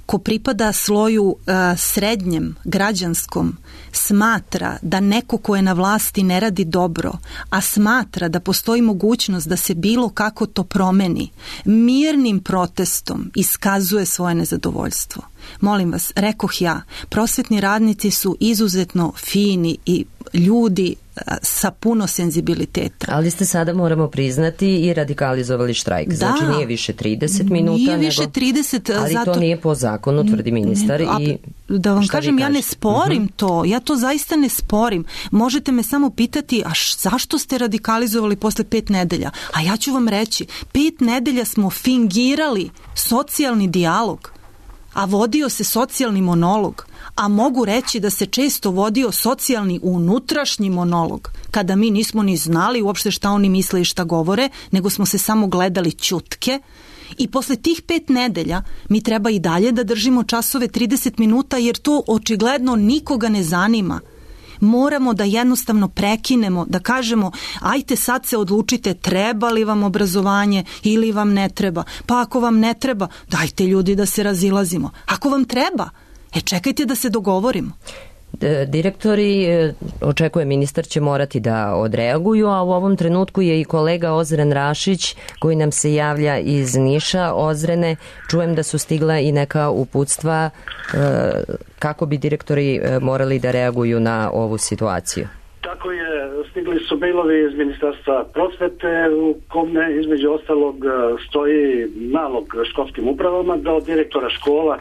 ko pripada sloju srednjem, građanskom, smatra da neko ko je na vlasti ne radi dobro, a smatra da postoji mogućnost da se bilo kako to promeni, mirnim protestom iskazuje svoje nezadovoljstvo. Molim vas, rekoh ja, prosvetni radnici su izuzetno fini i ljudi sa puno senzibiliteta. Ali ste sada, moramo priznati, i radikalizovali štrajk. Da, znači nije više 30 minuta. Nije više 30. Ali zato to nije po zakonu, tvrdi ministar. Da vam kažem, ja ne sporim to. Ja to zaista ne sporim. Možete me samo pitati, a zašto ste radikalizovali posle 5 nedelja? A ja ću vam reći, 5 nedelja smo fingirali socijalni dijalog, a vodio se socijalni monolog, a mogu reći da se često vodio socijalni unutrašnji monolog, kada mi nismo ni znali uopšte šta oni misle i šta govore, nego smo se samo gledali ćutke. I posle tih 5 nedelja mi treba i dalje da držimo časove 30 minuta, jer to očigledno nikoga ne zanima. Moramo da jednostavno prekinemo, da kažemo ajte sad se odlučite treba li vam obrazovanje ili vam ne treba. Pa ako vam ne treba, dajte ljudi da se razilazimo. Ako vam treba, čekajte da se dogovorimo. Direktori, očekuje ministar, će morati da odreaguju, a u ovom trenutku je i kolega Ozren Rašić koji nam se javlja iz Niša. Ozrene, čujem da su stigla i neka uputstva kako bi direktori morali da reaguju na ovu situaciju. Tako je, stigli su mailovi iz Ministarstva prosvete u kome između ostalog stoji nalog školskim upravama da od direktora škola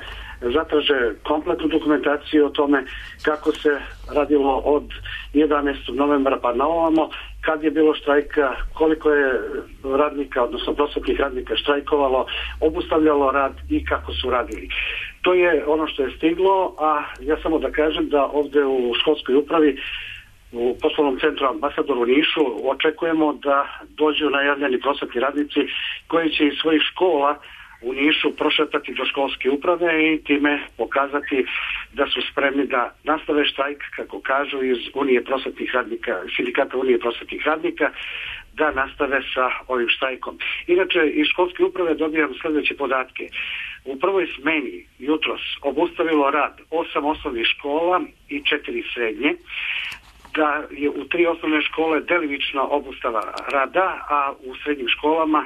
zatraže kompletnu dokumentaciju o tome kako se radilo od 11. novembra pa na ovamo, kad je bilo štrajka, koliko je radnika, odnosno prosvetnih radnika štrajkovalo, obustavljalo rad i kako su radili. To je ono što je stiglo, a ja samo da kažem da ovde u školskoj upravi u poslovnom centru Ambasador u Nišu očekujemo da dođu najavljeni prosvetni radnici koji će iz svojih škola u Nišu prošetati do školske uprave i time pokazati da su spremni da nastave štrajk, kako kažu iz Unije prosvetnih radnika, sindikata Unije prosvetnih radnika, da nastave sa ovim štrajkom. Inače, iz školske uprave dobijam sljedeće podatke. U prvoj smeni jutros obustavilo rad 8 osnovnih škola i 4 srednje, da je u 3 osnovne škole delimična obustava rada, a u srednjim školama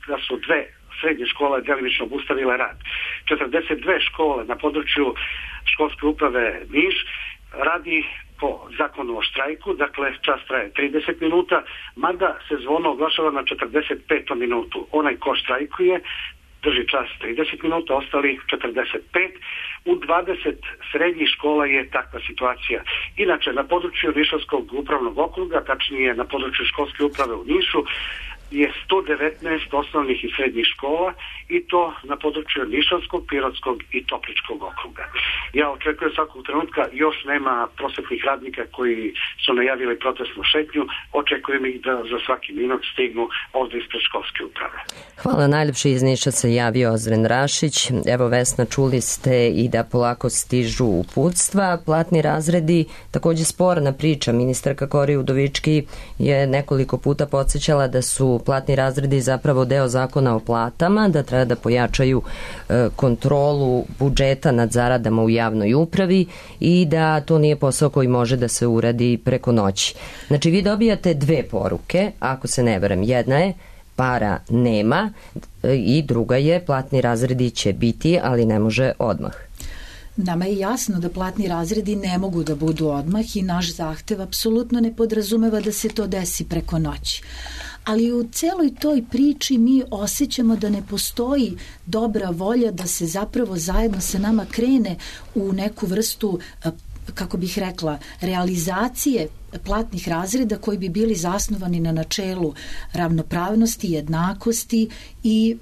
da su 2 srednje škole delimično obustavile rad. 42 škole na području školske uprave Niš radi po zakonu o štrajku, dakle čas traje 30 minuta, mada se zvono oglašava na 45. minutu. Onaj ko štrajkuje drži čas 30 minuta, ostali 45. U 20 srednjih škola je takva situacija. Inače, na području Nišavskog upravnog okruga, tačnije na području školske uprave u Nišu, je 119 osnovnih i srednjih škola i to na području Nišavskog, Pirotskog i Topličkog okruga. Ja očekujem svakog trenutka, još nema prosvetnih radnika koji su najavili protestnu šetnju, očekujem ih da za svaki minut stignu ovde ispred školske uprave. Hvala, najljepše iz Niša se javio Ozren Rašić. Evo, Vesna, čuli ste i da polako stižu uputstva. Platni razredi, takođe sporna priča. Ministarka Kori Udovički je nekoliko puta podsjećala da su platni razredi zapravo deo zakona o platama, da treba da pojačaju kontrolu budžeta nad zaradama u javnoj upravi i da to nije posao koji može da se uradi preko noći. Znači, vi dobijate 2 poruke, ako se ne varam. Jedna je para nema i druga je platni razredi će biti, ali ne može odmah. Nama je jasno da platni razredi ne mogu da budu odmah i naš zahtev apsolutno ne podrazumeva da se to desi preko noći. Ali u celoj toj priči mi osjećamo da ne postoji dobra volja da se zapravo zajedno sa nama krene u neku vrstu, kako bih rekla, realizacije platnih razreda koji bi bili zasnovani na načelu ravnopravnosti, jednakosti i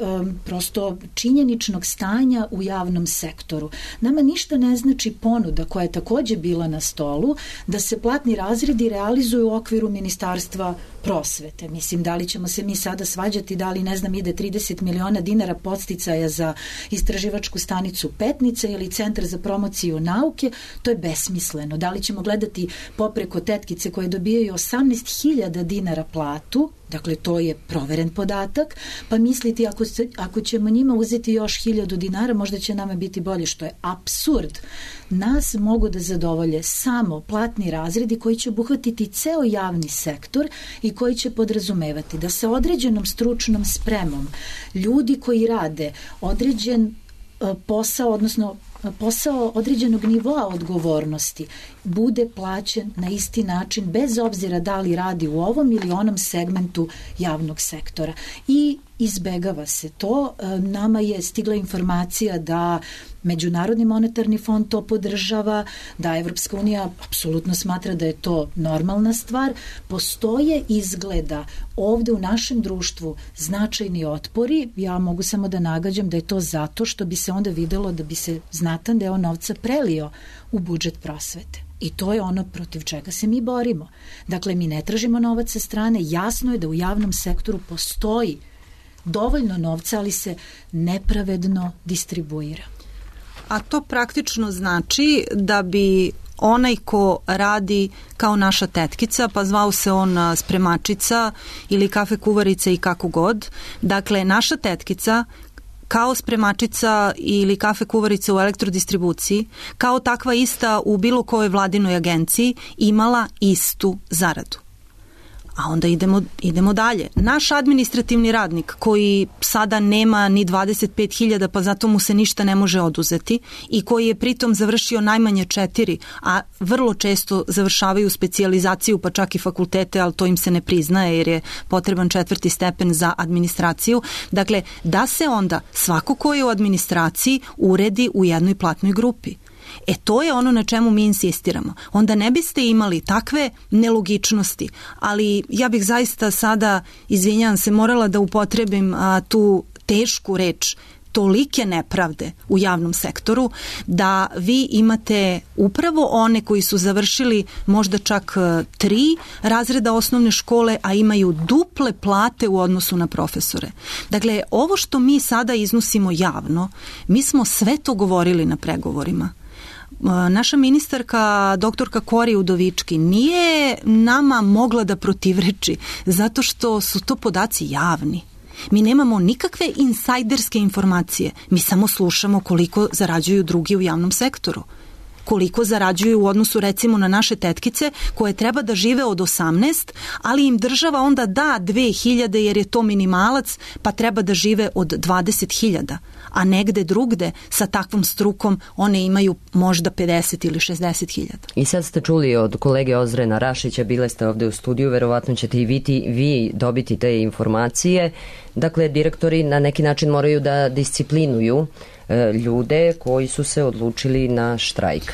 prosto činjeničnog stanja u javnom sektoru. Nama ništa ne znači ponuda koja je takođe bila na stolu da se platni razredi realizuju u okviru Ministarstva prosvete. Mislim, da li ćemo se mi sada svađati, da li, ne znam, ide 30 miliona dinara podsticaja za istraživačku stanicu Petnica ili Centar za promociju nauke, to je besmisleno. Da li ćemo gledati popreko tetkice koje dobijaju 18.000 dinara platu, dakle to je proveren podatak, pa misliti ako ćemo njima uzeti još 1.000 dinara, možda će nama biti bolje, što je apsurd. Nas mogu da zadovolje samo platni razredi koji će obuhvatiti ceo javni sektor i koji će podrazumevati da sa određenom stručnom spremom ljudi koji rade određen posao, odnosno posao određenog nivoa odgovornosti bude plaćen na isti način bez obzira da li radi u ovom ili onom segmentu javnog sektora. I izbegava se to. Nama je stigla informacija da Međunarodni monetarni fond to podržava, da Evropska unija apsolutno smatra da je to normalna stvar. Postoje izgleda ovde u našem društvu značajni otpori. Ja mogu samo da nagađam da je to zato što bi se onda videlo da bi se znatan deo novca prelio u budžet prosvete. I to je ono protiv čega se mi borimo. Dakle, mi ne tražimo novac sa strane. Jasno je da u javnom sektoru postoji dovoljno novca, ali se nepravedno distribuira. A to praktično znači da bi onaj ko radi kao naša tetkica, pa zvao se on spremačica ili kafe kuvarica i kako god, dakle naša tetkica kao spremačica ili kafe kuvarica u elektrodistribuciji, kao takva ista u bilo kojoj vladinoj agenciji, imala istu zaradu. A onda idemo dalje. Naš administrativni radnik koji sada nema ni 25.000, pa zato mu se ništa ne može oduzeti i koji je pritom završio najmanje 4, a vrlo često završavaju specijalizaciju, pa čak i fakultete, ali to im se ne priznaje jer je potreban 4. stepen za administraciju. Dakle, da se onda svako ko je u administraciji uredi u jednoj platnoj grupi. To je ono na čemu mi insistiramo. Onda ne biste imali takve nelogičnosti, ali ja bih zaista sada, izvinjavam se, morala da upotrebim tu tešku reč, tolike nepravde u javnom sektoru, da vi imate upravo one koji su završili možda čak 3 razreda osnovne škole, a imaju duple plate u odnosu na profesore. Dakle, ovo što mi sada iznosimo javno, mi smo sve to govorili na pregovorima. Naša ministarka, doktorka Kori Udovički, nije nama mogla da protivreči zato što su to podaci javni. Mi nemamo nikakve insajderske informacije, mi samo slušamo koliko zarađuju drugi u javnom sektoru. Koliko zarađuju u odnosu recimo na naše tetkice koje treba da žive od 18, ali im država onda da 2.000 jer je to minimalac, pa treba da žive od 20.000. A negde drugde sa takvom strukom one imaju možda 50 ili 60.000. I sad ste čuli od kolege Ozrena Rašića, bile ste ovde u studiju, verovatno ćete i vi dobiti te informacije. Dakle, direktori na neki način moraju da disciplinuju ljude koji su se odlučili na štrajk.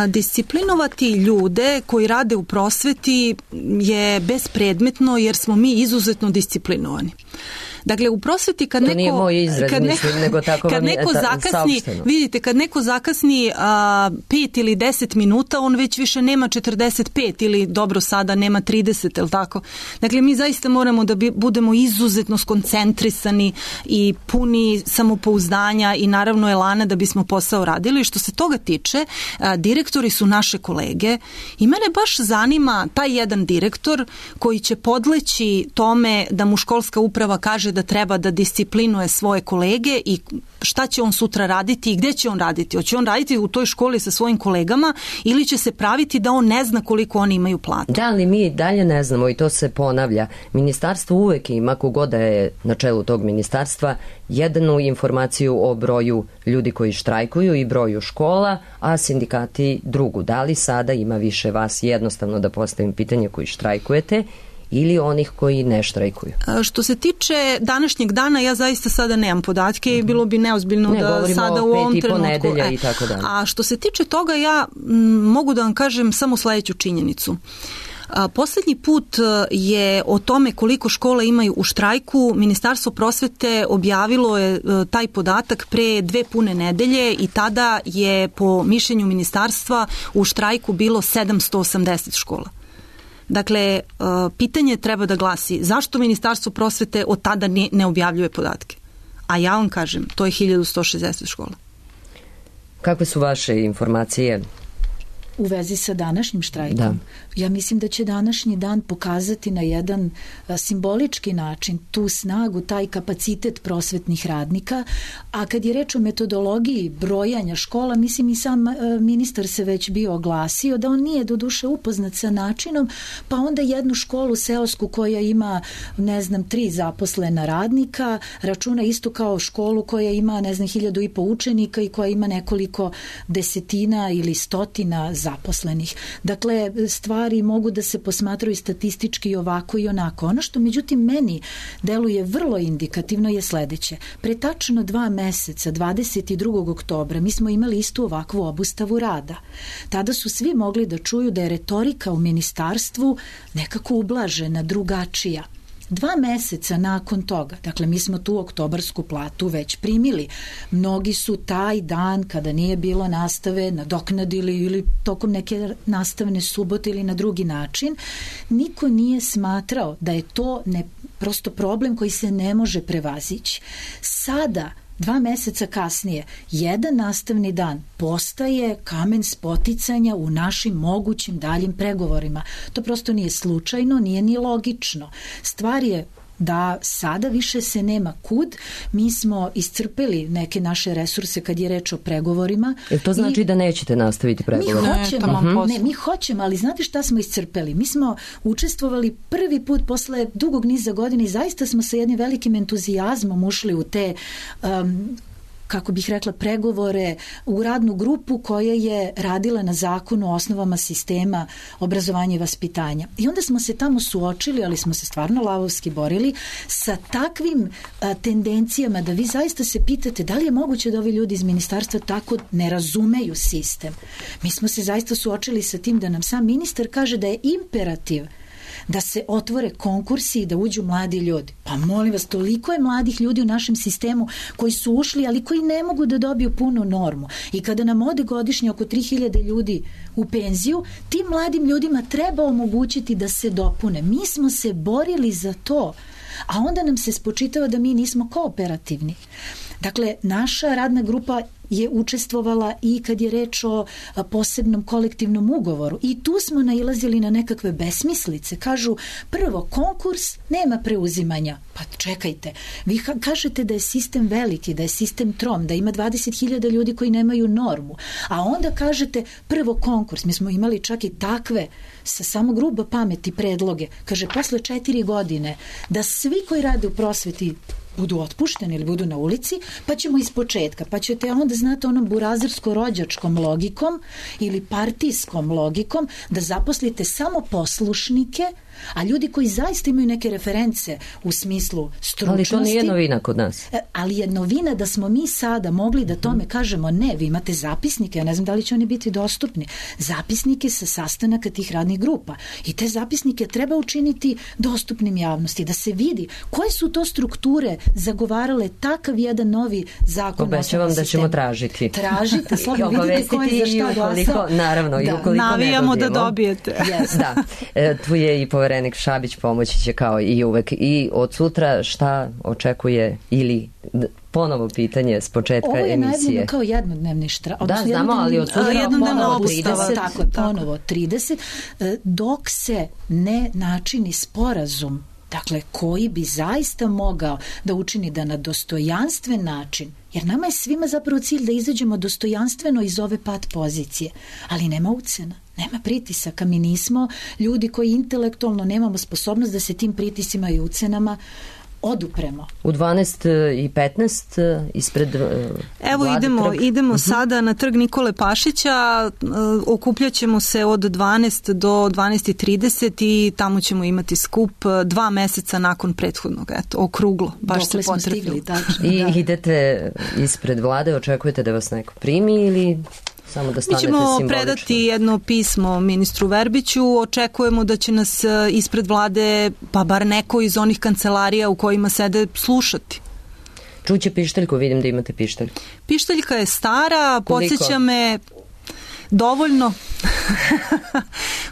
Disciplinovati ljude koji rade u prosveti je bespredmetno jer smo mi izuzetno disciplinovani. Dakle, u prosveti kad neko... To nije moj izraz, mislim, nego tako vam je saopšteno. Vidite, kad neko zakasni 5 ili 10 minuta, on već više nema 45 ili dobro sada nema 30, je li tako? Dakle, mi zaista moramo da budemo izuzetno skoncentrisani i puni samopouzdanja i naravno elana da bismo posao radili. Što se toga tiče, direktori su naše kolege i mene baš zanima taj jedan direktor koji će podleći tome da mu školska uprava kaže da treba da disciplinuje svoje kolege i šta će on sutra raditi i gde će on raditi. Hoće on raditi u toj školi sa svojim kolegama ili će se praviti da on ne zna koliko oni imaju platu. Da, ali mi dalje ne znamo i to se ponavlja. Ministarstvo uvek ima, kogoda je na čelu tog ministarstva, jednu informaciju o broju ljudi koji štrajkuju i broju škola, a sindikati drugu. Da li sada ima više vas, jednostavno da postavim pitanje, koji štrajkujete ili onih koji ne štrajkuju? Što se tiče današnjeg dana, ja zaista sada nemam podatke i bilo bi neozbiljno da sada u ovom trenutku. I tako dalje. A što se tiče toga, ja mogu da vam kažem samo sledeću činjenicu. Poslednji put je o tome koliko škola imaju u štrajku Ministarstvo prosvete objavilo je taj podatak pre 2 pune nedelje i tada je po mišljenju ministarstva u štrajku bilo 780 škola. Dakle, pitanje treba da glasi zašto Ministarstvo prosvete od tada ne objavljuje podatke? A ja vam kažem, to je 1160 škola. Kakve su vaše informacije u vezi sa današnjim štrajkom? Da. Ja mislim da će današnji dan pokazati na jedan simbolički način tu snagu, taj kapacitet prosvetnih radnika, a kad je reč o metodologiji brojanja škola, mislim i sam ministar se već bio oglasio da on nije doduše upoznat sa načinom, pa onda jednu školu seosku koja ima, 3 zaposlena radnika, računa isto kao školu koja ima, 1.500 učenika i koja ima nekoliko desetina ili stotina zaposlenih. Dakle, stvari mogu da se posmatraju statistički ovako i onako. Ono što međutim meni deluje vrlo indikativno je sledeće. Pre tačno 2 meseca, 22. oktobra, mi smo imali istu ovakvu obustavu rada. Tada su svi mogli da čuju da je retorika u ministarstvu nekako ublažena, drugačija. 2 meseca nakon toga, dakle mi smo tu oktobarsku platu već primili. Mnogi su taj dan kada nije bilo nastave nadoknadili ili tokom neke nastavne subote ili na drugi način. Niko nije smatrao da je to prosto problem koji se ne može prevazići. Sada 2 meseca kasnije, jedan nastavni dan postaje kamen spoticanja u našim mogućim daljim pregovorima. To prosto nije slučajno, nije ni logično. Stvar je da sada više se nema kud. Mi smo iscrpeli neke naše resurse kad je reč o pregovorima. Jel to znači da nećete nastaviti pregovore? Mi hoćemo, ali znate šta smo iscrpeli? Mi smo učestvovali prvi put posle dugog niza godina i zaista smo sa jednim velikim entuzijazmom ušli u te kako bih rekla, pregovore u radnu grupu koja je radila na zakonu o osnovama sistema obrazovanja i vaspitanja. I onda smo se tamo suočili, ali smo se stvarno lavovski borili sa takvim tendencijama da vi zaista se pitate da li je moguće da ovi ljudi iz ministarstva tako ne razumeju sistem. Mi smo se zaista suočili sa tim da nam sam ministar kaže da je imperativ da se otvore konkursi i da uđu mladi ljudi. Pa molim vas, toliko je mladih ljudi u našem sistemu koji su ušli, ali koji ne mogu da dobiju punu normu. I kada nam ode godišnje oko 3000 ljudi u penziju, tim mladim ljudima treba omogućiti da se dopune. Mi smo se borili za to, a onda nam se spočitava da mi nismo kooperativni. Dakle, naša radna grupa je učestvovala i kad je reč o posebnom kolektivnom ugovoru. I tu smo nailazili na nekakve besmislice. Kažu, prvo, konkurs nema preuzimanja. Pa čekajte, vi kažete da je sistem veliki, da je sistem trom, da ima 20.000 ljudi koji nemaju normu. A onda kažete, prvo konkurs. Mi smo imali čak i takve sa samo grubo pameti predloge. Kaže, posle 4 godine da svi koji rade u prosveti budu otpušteni ili budu na ulici, pa ćemo iz početka, pa ćete onda znati onom burazersko-rođačkom logikom ili partijskom logikom da zaposlite samo poslušnike, a ljudi koji zaista imaju neke reference u smislu stručnosti. Ali to nije novina kod nas. Ali je novina da smo mi sada mogli da tome kažemo ne, vi imate zapisnike, ja ne znam da li će oni biti dostupni, zapisnike sa sastanaka tih radnih grupa i te zapisnike treba učiniti dostupnim javnosti, da se vidi koje su to strukture zagovarale takav jedan novi zakon. Obećavam da ćemo tražiti. Tražite, slobno vidite ko je za šta glasao. Naravno, i ukoliko navijamo ne dobijemo. Da dobijete. Yes. Da, tu je i poverenik Šabić, pomoći će kao i uvek. I od sutra šta očekuje ili ponovo pitanje s početka emisije? Ovo je najavljeno kao jednodnevni štrajk. Da, znamo, ali od sutra jednodnevna obustava. Tako, ponovo 30, dok se ne načini sporazum, dakle, koji bi zaista mogao da učini da na dostojanstven način, jer nama je svima zapravo cilj da izađemo dostojanstveno iz ove pat pozicije, ali nema ucena. Nema pritisaka, mi nismo ljudi koji intelektualno nemamo sposobnost da se tim pritisima i ucenama odupremo. U 12:15 ispred Evo idemo sada na trg Nikole Pašića, okupljaćemo se od 12 do 12:30 i tamo ćemo imati skup 2 meseca nakon prethodnog, okruglo, baš se potrefili. I idete ispred vlade, očekujete da vas neko primi ili samo da stanete simbolično? Mi ćemo predati jedno pismo ministru Verbiću, očekujemo da će nas ispred vlade, pa bar neko iz onih kancelarija u kojima sede, slušati. Čuće pištaljku, vidim da imate pištaljku. Pištaljka je stara, podsjeća me dovoljno.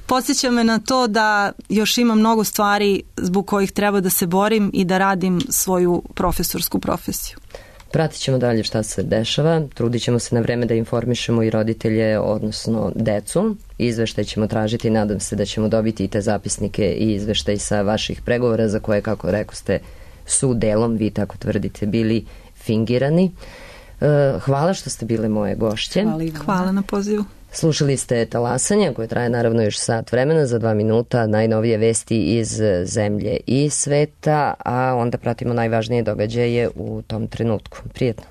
Podsjeća me na to da još ima mnogo stvari zbog kojih treba da se borim i da radim svoju profesorsku profesiju. Pratit ćemo dalje šta se dešava, trudit ćemo se na vreme da informišemo i roditelje, odnosno decu. Izveštaj ćemo tražiti i nadam se da ćemo dobiti i te zapisnike i izveštaj sa vaših pregovora za koje, kako rekoste, su delom, vi tako tvrdite, bili fingirani. Hvala što ste bile moje gošće. Hvala na pozivu. Slušali ste Talasanje, koje traje naravno još sat vremena, za 2 minuta najnovije vesti iz zemlje i sveta, a onda pratimo najvažnije događaje u tom trenutku. Prijetno.